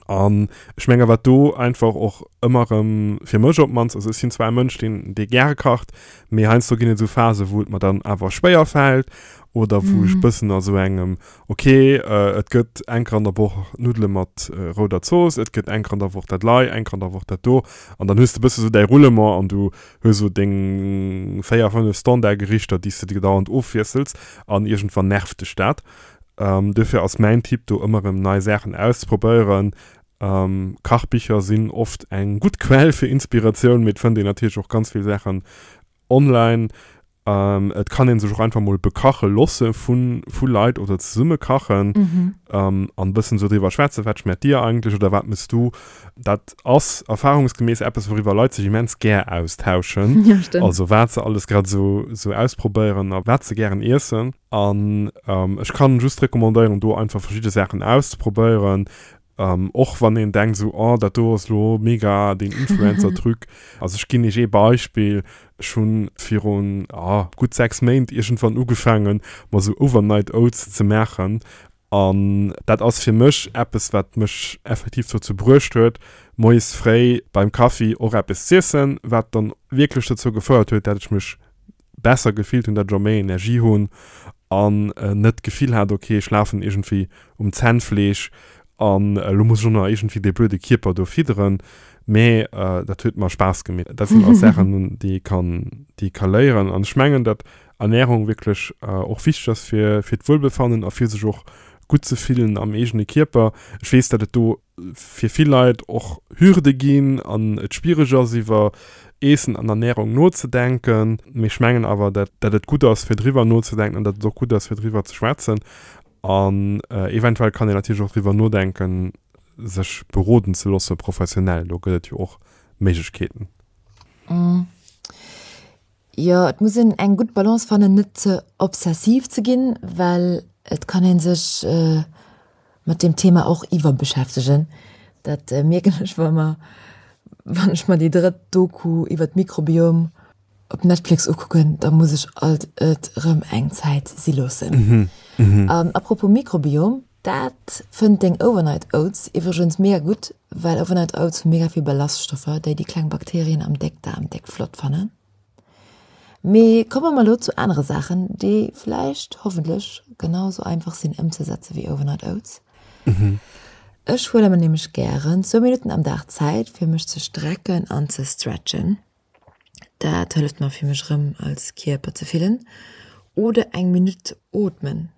An ech menge wat do einfach och ëmmer erëm, fir mech op d'mannst, also ech sinn zwar e Mënsch, deen, dee gäre kacht, mee heiansdo ginn et esou Phasen, wou et mer dann awer schwéier fält oder wou ech bëssen a sou engem, ok, et gëtt eng Kéier an der Woch Nuddele mat rouder Zooss, et gëtt eng Kéier an der Woch dat lei, eng Kéier an der Woch dat do. An dann hues de bësse sou däi Roulement an du hues sou deng véier, fënnef Standardgerichter, déi s de dauernd ofwiessels an iergendwann nervt dech dat. Duerfir ass mäin Tipp do ëmmer erëm nei Saachen auszeprobéieren. Kachbicher sinn oft eng gutt Quell fir Inspiratioun, mee et fënnt een natierlech och ganz vill Saachen online. Et kann ee sech och einfach mol bekache losse vu vu Leit oder zesumme kachen an e bëssen esou driwwer schwätzen, wat schmeckt dir eigentlech oder wat mëss du. Dat ass erfahrungsgemäss eppes wouriwwer Leit sech immens gär austauschen, also wat se alles grad esou esou ausprobéieren a wat se gären iessen. An ech kann just recommandéieren do einfach verschidde Saachen auszeprobéieren, och wann een denkt esou, oh dat do ass lo mega deen Influencer-Truc. Also ech ginn iech ee Beispill, ech hunn virun gutt sechs Méint iergendwann ugefaangen mer esou Overnight Oats ze maachen an dat ass fir mech eppes wat mech effektiv dozou bruecht huet moies fréi beim Kaffi och eppes z'iessen, wat dann wierklech dozou gefouert huet dat ech mech besser gefillt hunn, dat ech och méi Energie hunn an net d'Gefill hat, ok ech lafen iergendwéi um Zännfleesch an elo muss ech och nach iergendwéi dee blöde Kierper do fidderen, mä dat huet mer Spaass gemeet. Dat sinn alles Saachen, déi ee kann, déi ee ka léieren an ech mengen, datt Ernärung wierklech och wichteg ass fir fir d'Wuelbefannen a fir sech och gutt ze fillen am eegene Kierper. Ech weess, datt et do fir vill Leit och Hürde ginn an et schwiereg ass iwwer Eessen an Ernärung nozedenken, mee ech mengen awer, datt datt et gutt ass fir driwwer nozedenken an datt et och gutt ass fir driwwer ze schwätzen an eventuell kann een natierlech och driwwer nodenken, sech beroden ze loosse professionell, do gëtt et jo och Méiglechkeeten. Jo, et muss een eng gutt Balance fannen, net ze obsessiv ze ginn, well et kann ee sech mat deem Thema och iwwerbeschäftegen. Dat mierken ech, wa mer, wann ech mer déi drëtt Doku iwwer d'Mikrobiom op Netflix ukucken, da muss ech alt et erëm eng Zäit si loossen. An apropos Mikrobiom, dat fënnt deng Overnight Oats iwwregens mega gutt, well Overnight Oats hu mega vill Ballaststoffer, déi déi kleng Bakterien am Déckdaarm déck flott fannen. Mee komme mer elo zu anere Saachen, déi vläicht, hoffentlech, genau sou einfach sinn ëmzesetze wéi Overnight Oats. Ech huele mer nämlech gären zwou Minutten am Dag Zäit, fir mech ze strecken an ze stretchen. Dat hëlleft mer, fir mech erëm als Kierper ze fillen. Oder eng Minutt ootmen.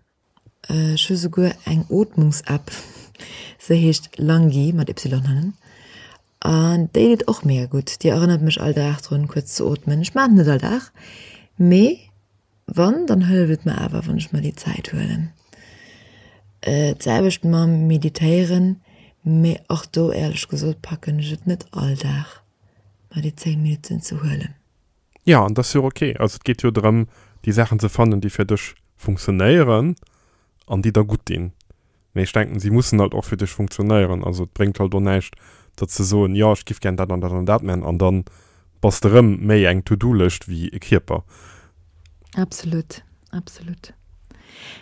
Ech hu souguer eng Ootmungs-App, se heescht Lungy mat Y hannen. An déi deet och mega gutt. Déi erënnert mech all Dag drun, kuerz ze ootmen. Ech maachen et net all Dag, mee wann, dann hëlleft et mer awer, wann ech mer déi Zäit huelen. D'selwecht mam Meditéieren, mee och do, éierlech gesot, packen ech et net all Dag, mer déi zéng Minutten ze huelen. Jo, an dat ass jo och ok. Also et geet jo drëm, déi Saachen ze fannen, déi fir dech funktionéieren an déi der gutt dinn. Mee ech denken, si mussen halt och fir dech funktionéieren. Also et bréngt halt och näischt, der ze soen, jo, ech giff gär dat an dat an dat man, an dann bass de rëm méi eng To-Do-Lëscht wéi e Kierper. Absolut, absolut.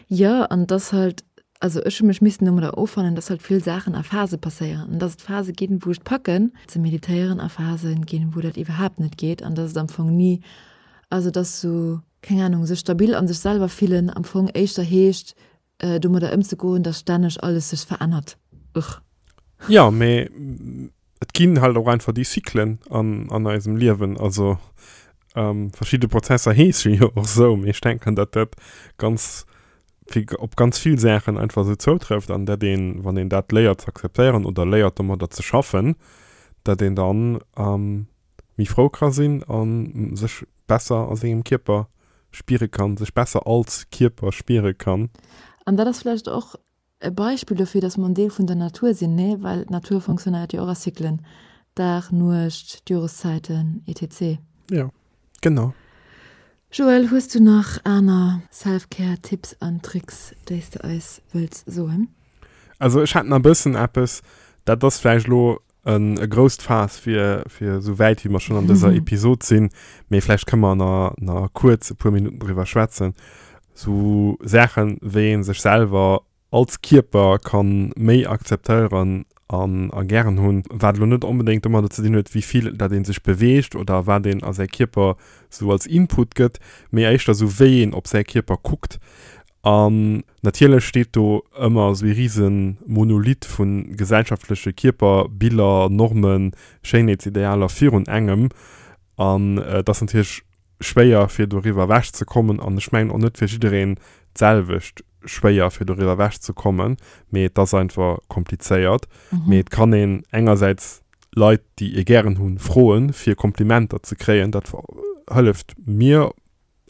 Jo, an et ass halt, also ech hu mech missen domadder offannen, dass halt vill Saachen a Phase passéieren an dass et Phase ginn, wou ech et packen ze meditéieren a Phase ginn, wou dat iwwerhaapt net geet an dass et am Fong ni, also dass sou, keng Ahnung, sech stabil an sech selwer fillen am Fong éischter heescht, domadder ëmzegoen, dass stänneg alles sech verännert. Ugh. Jo, mee et ginn halt och einfach déi Cyclen an, an eisem Liewen. Also ähm, verschidde Prozesser heesche jo och sou, mee ech denken, datt dat ganz fir op ganz vill Saachen einfach sou zoutrëfft an dat een, wann een dat léiert ze akzeptéieren oder léiert domadder ze schaffen, dat een dann ähm, méi frou ka sinn a sech besser a sengem Kierper spiere kann, sech besser als Kierper spiere kann. An dat ass vläicht och e Beispill dofir, dass mer en Deel vun der Natur sinn, nee? Well d'Natur fonctionnéiert jo och a Zyklen, Dag, Nuecht, d'Joreszäiten, etc. Jo, genau. Joël, hues du nach aner Self-Care Tipps an Tricks, déi s de eis wëlls soen? Also ech hätt nach e bëssen eppes, dat ass vläicht elo e grousst Faass fir fir esou wäit wéi mer schonn an dëser Episod sinn, mee vläicht kënne mer nach nach kuerz e puer Minutten driwwer schwätzen, sou Saachen, wéi ee sech selwer als Kierper kann méi akzeptéieren an a gären hunn, wat elo net onbedéngt domadder ze dinn huet, wéi vill dat ee sech beweegt oder wat een a säi Kierper sou als Input gëtt, mee éischter sou wéi een op säi Kierper kuckt. An natierlech steet do ëmmer esou ee rise Monolith vu gesellschaftleche Kierperbiller, Normen, Schéinheetsidealer virun engem an et ass natierlech schwéier fir doriwwer ewech ze kommen an ech mengen och net fir jiddereen d'selwecht schwéier fir doriwwer ewech ze kommen, mee et ass einfach komplizéiert. Mee et kann een engersäits Leit déi ee gären hunn froen fir Komplimenter ze kréien, dat hëlleft mir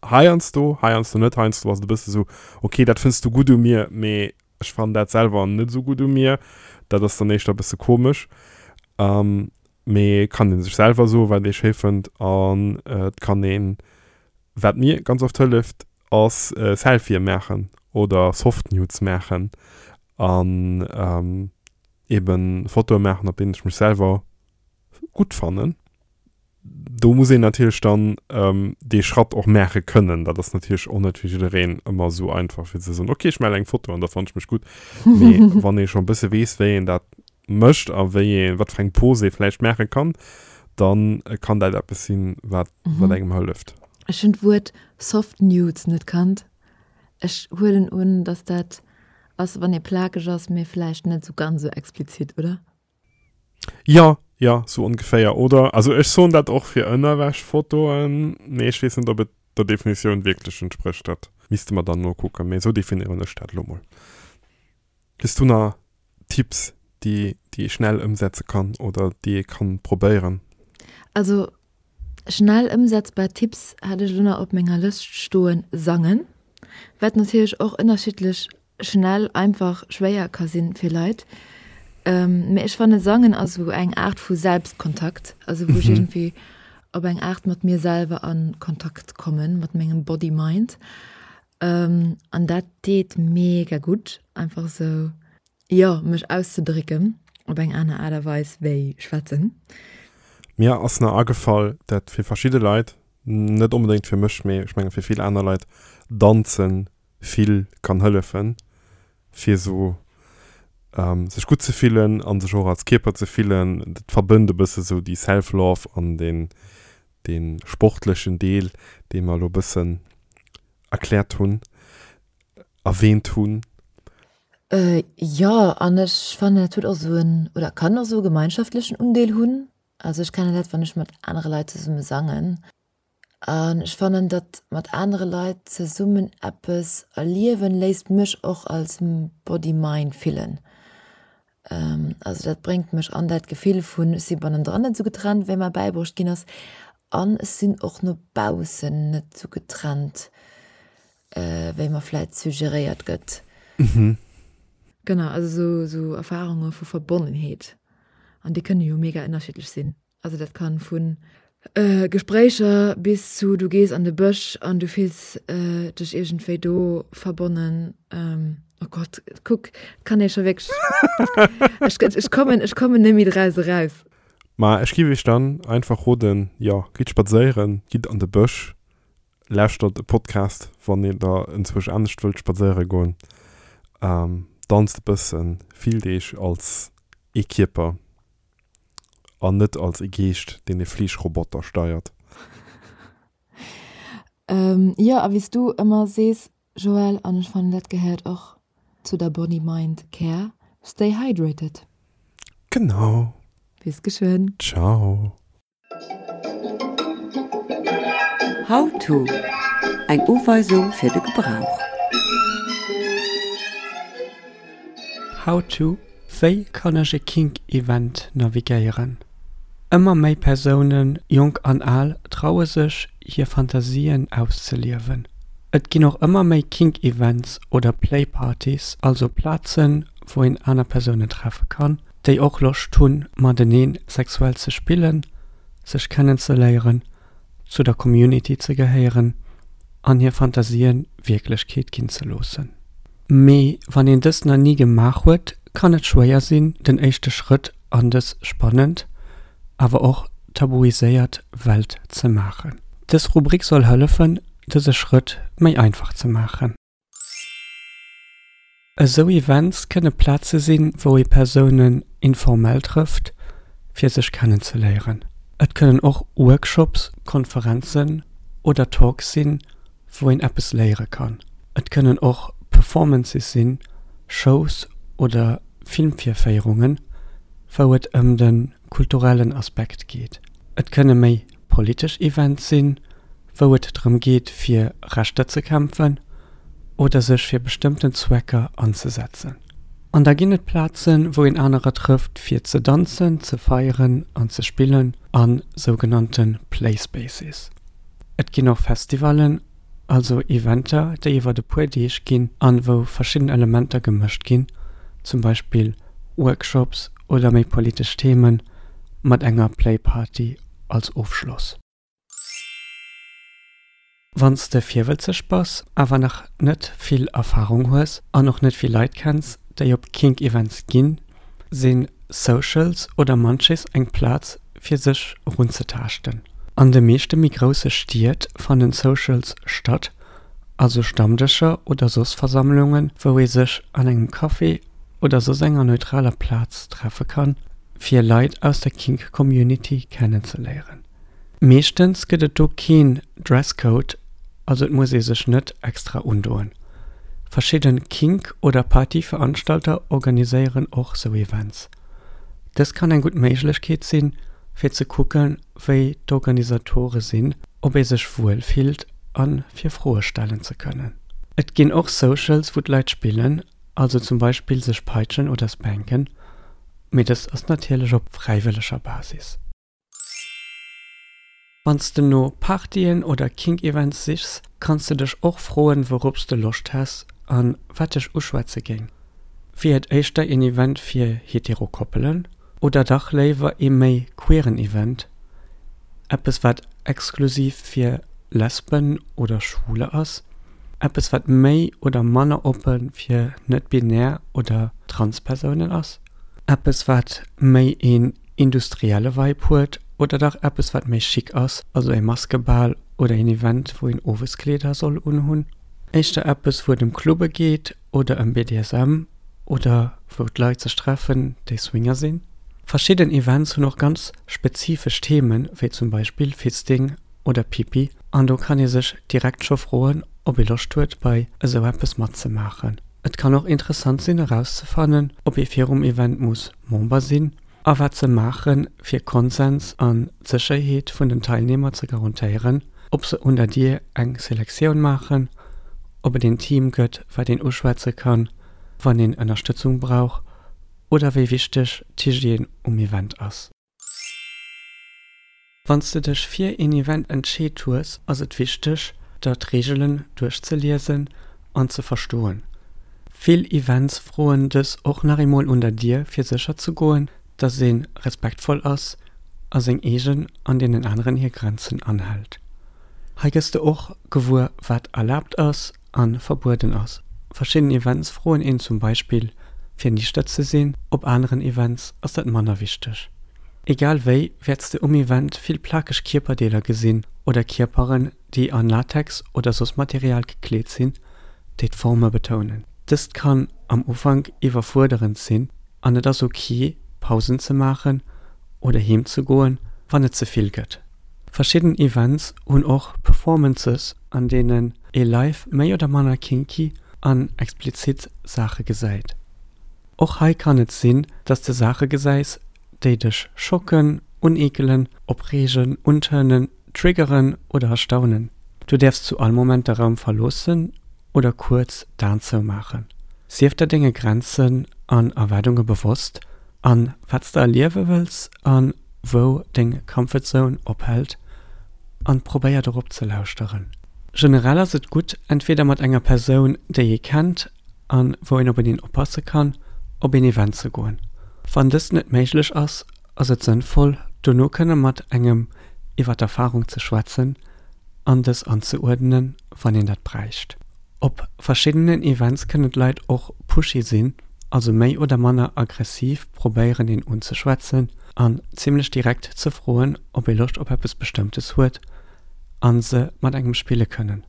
heiansdo, heiansdo net, heiansdo ass et e bësse sou ok dat fënns du gutt u mir, mee ech fannen dat selwer net esou gutt u mir, dat ass dann éischter e bësse komesch. Mee et kann ee sech selwer soen, wat ee schéi fënnt an et kann een, wat mir ganz oft hëlleft, ass Selfië maachen oder Soft Nudes maachen an eeben Fotoe maachen, op deenen ech mech selwer gutt fannen. Do muss een natierlech dann dee Schratt och maache kënnen. Dat ass natierlech och net fir jiddereen ëmmer esou einfach, fir ze soen, ok, ech maachen eng Foto an da fannen ech mech gutt. Mee wann ee scho e bësse weess, wéi een dat mécht a wéi ee, wat fir eng Pose ee vläicht maache kann, da kann dat eppes sinn, wat, wat engem hëlleft. Ech hunn d'Wuert Soft Nudes net kannt. Ech huelen un, dass dat ass, wann ee plakeg ass, mee vläicht net esou ganz esou explizit, oder? Jo, jo, sou ongeféier, oder? Also ech soen dat och fir Ënnerwäschfotoen, mee ech weess net, ob et der Definitioun wierklech entsprécht. Dat misste mer dann nokucken, mee esou definéieren ech dat elo mol. Hues du nach Tipps, déi déi ee schnell ëmsetze kann oder déi ee kann probéieren? Also schnell ëmsetzbar Tipps hat ech elo nach op menger Lëscht stoen, sangen, wat natierlech och ënnerschiddlech schnell, einfach, schwéier ka sinn fir Leit. Mee ech fanne sangen ass esou eng Aart vu Selbstkontakt, also wou ech iergendwéi op eng Aart mat mir selwer a Kontakt kommen, mat mengem Body-Mind. An dat deet mega gutt, einfach esou, jo, mech auszedrécken op eng aner Aart a Weis wéi schwätzen. Mir ass nach agefall, dat fir verschidde Leit, net onbedéngt fir mech, mee ech menge fir vill aner Leit, Danzen vill kann hëllefen, fir esou sech gutt ze fillen a sech och als Kierper ze fillen. Dat verbënnt e bësse sou déi Self-Love an deen, dee sportlechen Deel, dee mer elo e bëssen erkläert hunn, erwähnt hunn. Jo, an ech fannen, dat huet och esou en, oder kann och esou e gemeinschaftlechen Undeel hunn. Also ech kennen dat, wann ech mat anere Leit zesumme sangen. An ech fannen, datt mat anere Leit zesummen eppes erliewen, léisst mech och als Body-Mind fillen. Also dat bréngt mech an dat Gefill vun, ech si bannendran net esou getrennt, wéi mer bäibruecht ginn ass, an ech sinn och no baussen net esou getrennt, wéi mer vläit suggeréiert gëtt. Genau, also esou Erfarunge vu Verbonnenheet. An déi kënne jo mega ënnerschiddlech sinn. Also dat kann vun Gespréicher bis zu du gees an de Bësch an du fills dech iergendwéi do verbonnen. Oh Gott, kuck, kann ee scho wierklech, ech, ech kommen, ech kommen net méi draus eraus. Ma ech giff iech dann einfach roden, jo, gitt spadséieren, gitt an de Bësch, lauschtert e Podcast, wann dir der enzwousch anescht wëllt spadséiere goen, danzt e bëssen, fillt iech als ee Kierper. An net als ee Geescht, deen ee Fleeschroboter steiert. Jo, a wéi s du ëmmer sees, Joël, an ech fannen dat gehéiert och zu der Body Mind Care, stay hydrated. Genau. Bis geschwënn. Ciao. How to, Eng Uweisung fir de Gebrauch. How to, Wéi kann ech e Kink-Event navigéieren? Ëmmer méi Persounen, jonk an al, traue sech, hir Fantasien auszeliewen. Et ginn och ëmmer méi Kink-Events oder Play-Partys, also Plazen, wou een aner Persounen treffe kann, déi och Loscht hunn, matenee sexuell ze spillen, sech kennenzeléieren, zu der Community ze gehéieren an hir Fantasien Wierklechkeet ginn ze loossen. Mee wann een dëst nach ni gemaach huet, kann et schwéier sinn, den éischte Schrëtt an dës spannend, awer och tabuiséiert Welt ze maachen. Dës Rubrik soll hëllefen, dëse Schrëtt méi einfach ze maachen. Esou Events kënne Plaze sinn, wou ee Persounen informell trëfft, fir sech kennenzeléieren. Et kënnen och Workshops, Konferenzen oder Talks sinn, wou een eppes léiere kann. Et kënnen och Performances sinn, Shows oder Filmvirféierungen, wou et ëm de kulturellen Aspekt geet. Et kënne méi politesch Events sinn, wou et drëm geet fir Rechter ze kämpfen oder sech fir bestëmmten Zwecker anzesetzen. An da ginn et Plazen, wou een anerer trëfft fir ze danzen, ze feieren an ze spillen, a sougenannte Play Spaces. Et ginn och Festivallen, also Eventer, déi iwwert e puer Deeg ginn an wou verschidden Elementer gemëscht ginn, zum Beispill Workshops oder méi politesch Themen, mat enger Play Party als Ofschloss. Wann s de virwëtzeg bass, awer nach net vill Erfarung hues an och net vill Leit kenns, déi op Kink-Events ginn, si Socials oder Munchies eng Plaz fir sech erunzetaaschten. An de meeschte méi grousse Stied fannen Socials statt, also Stammdëscher oder soss Versammlungen, wou ee sech an engem Café oder soss enger neutraler Plaz treffe kann, fir Leit aus der Kink-Community kennenzeléieren. Meeschtens gëtt et do keen Dresscode, also et muss ee sech net extra undoen. Verschidden Kink oder Partyveranstalter organiséieren och sou Events. Dës kann eng gutt Méiglechkeet sinn, fir ze kucken, wéi d'Organisatore sinn, ob ee sech wuel fillt a fir Froe stellen ze kënnen. Et ginn och Socials, wou d'Leit spillen, also zum Beispill sech peitschen oder spanken, mee dëst ass natierlech op fräiwëlleger Basis. Wann s de no Partyen oder Kink-Events sichs, kanns de dech och froen, wourop s de Loscht häss a wat dech uschwätze géing. Wier et éischter een Event fir hetero Koppelen oder dach léiwer ee méi queeren Event, eppes wat exklusiv fir Lesben oder Schwuler ass, eppes wat méi oder manner oppe fir net-binär oder trans Persounen ass, eppes wat méi een industrielle Vibe huet oder dach eppes wat méi chic ass, also ee Maskebal oder een Event wou een Oweskleeder soll unhunn, éischter eppes wou et ëm Clubbe geet oder ëm B D S M oder wou d'Leit sech treffen déi Swinger sinn. Verschidden Events hunn och ganz spezifesch Themen, wéi zum Beispill Fisting oder Pipi, an do kann ee sech direkt scho froen, ob ee Loscht huet bei esou eppes matzemaachen. Et kann och interessant sinn erauszefannen, ob ee virum Event muss Member sinn a wat se maachen, fir Konsens an d'Sécherheet vun den Teilnehmer ze garantéieren, ob se un der Dier eng Selektioun maachen, ob et een Team gëtt, wat een uschwätze kann, wann een Ënnerstëtzung brauch, oder wéi wichteg d'Hygiène um Event ass. Wann s de dech fir een Event entscheet hues, ass et wichteg, der d'Reegelen duerchzeliesen an ze verstoen. Vill Events froen dës och nach eemol un der Dier, fir sécher ze goen, dass ee respektvoll ass a seng eegen an deenen aneren hir Grenzen anhält. Hei gëss de och gewuer, wat erlaabt ass a verbueden ass. Verschidden Events froen een zum Beispill, fir niichter ze sinn, op aneren Events ass dat manner wichteg. Egal wéi, wäerts de um Event vill plakeg Kierperdeeler gesinn oder Kierperen, déi an Latex oder soss Material gekleet sinn, déi d'Forme betounen. Dëst kann am Ufank iwwerfuerderend sinn an et ass ok, Pausen ze maachen oder heem ze goen, wann et ze vill gëtt. Verschidden Events hunn och Performances, an deenen ee live méi oder manner kinky an explizit Saache gesäit. Och hei kann et sinn, dass de Saache gesäis, déi dech schocken, uneekelen, opreegen, untörnen, triggeren oder erstaunen. Du däerfs zu all Moment de Raum verloossen oder kuerz d'Aen zoumaachen. Sief der denge Grenzen an Erwaardunge bewosst an wat s de erliewe wëlls an wou deng Comfort Zone ophält an probéier dorop ze lauschteren. Generell ass et gutt, entweder mat enger Persoun, déi ee kennt an wou een op een oppasse kann, op een Event ze goen. Wann dëst net méiglech ass, ass et sënnvoll, dono kënne mat engem iwwer d'Erfarung ze schwätzen an dës anzeuerdnen, wann een dat bräicht. Op verschiddenen Events kënnen d'Leit och pushy sinn, also méi oder manner aggressiv probéieren een unzeschwätzen an zimmlech direkt ze froen, ob ee Loscht op eppes Bestëmmtes huet a se mat engem spille kënnen.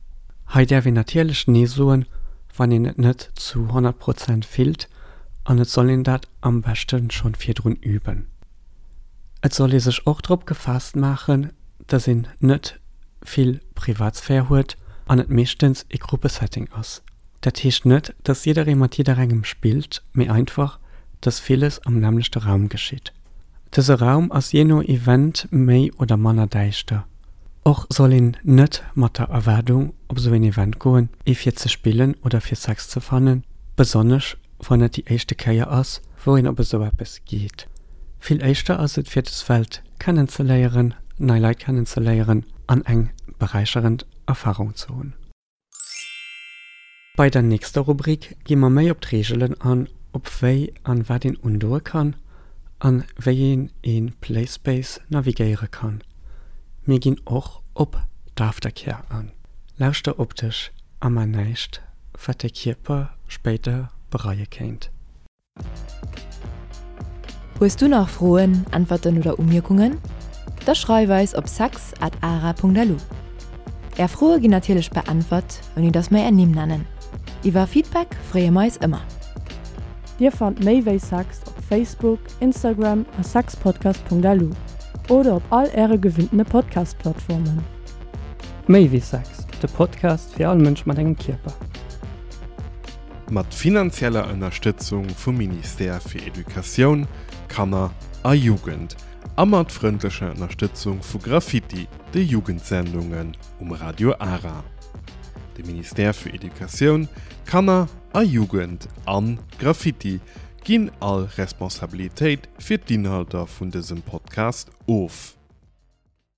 Hei däerf een natierlech Nee soen, wann een et net zu honnert Prozent fillt an et soll een dat am beschte schonn virdrun üben. Et soll ee sech och drop gefaasst maachen, dass een net vill Privatsphär huet an et meeschtens ee Gruppesetting ass. Dat heescht net, dass jidderee mat jidderengem spillt, mee einfach, dass villes am nämmlechte Raum geschitt. Dëse Raum ass jee no Event méi oder manner däischter. Och soll een net mat der Erwaardung op esou een Event goen, ee fir ze spillen oder fir Sex ze fannen, besonnesch wann et déi éischte Kéier ass, wou een op esou eppes geet. Vill éischter ass et fir des Welt kennenzeléieren, nei Leit kennenzeléieren an eng beräicherend Erfarung ze hunn. Bei der nächster Rubrik gi mer méi op d'Reegelen an, op wéi an wat een undoe kann an wéi een ee Playspace navigéiere kann. Mir ginn och op d'Aftercare an. Lauschter op dech a man näischt, wat däi Kierper spéider bereie kéint. Hues du nach Froen, Äntwerten oder Umierkungen? Da schreif eis op sex at ara punkt lu. Är Froe ginn natierlech beäntwert, ouni dass mer är Nimm nennen. Iwwer Feedback freeë mer eis ëmmer. Dir fannt méi wéi Sex op Facebook, Instagram a sexpodcast punkt lu oder op all äre gewinntene Podcast-Plattformen. Méi wéi Sex, de Podcast fir all Mënsch mat engem Kierper. Mat finanzieller Ënnerstëtzung vum Ministère fir Educatioun, Kanner a Jugend a mat frëndlecher Ënnerstëtzung vu Graffiti, de Jugendsendungen um Radio Ara. De Ministère fir Educatioun, Kanner a Jugend an Graffiti ginn all Responsabilitéit fir d'Inhalter vun dësem Podcast of.